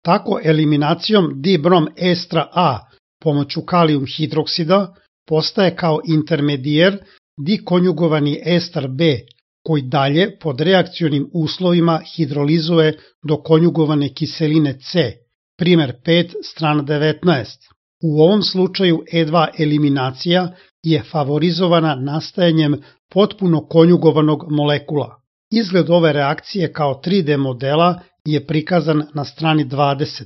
Tako eliminacijom dibrom estra A pomoću kalijum hidroksida postaje kao intermedijer dikonjugovani estar B, koji dalje pod reakcionim uslovima hidrolizuje do konjugovane kiseline C, primer 5, strana 19. U ovom slučaju E2 eliminacija je favorizovana nastajanjem potpuno konjugovanog molekula. Izgled ove reakcije kao 3D modela je prikazan na strani 20.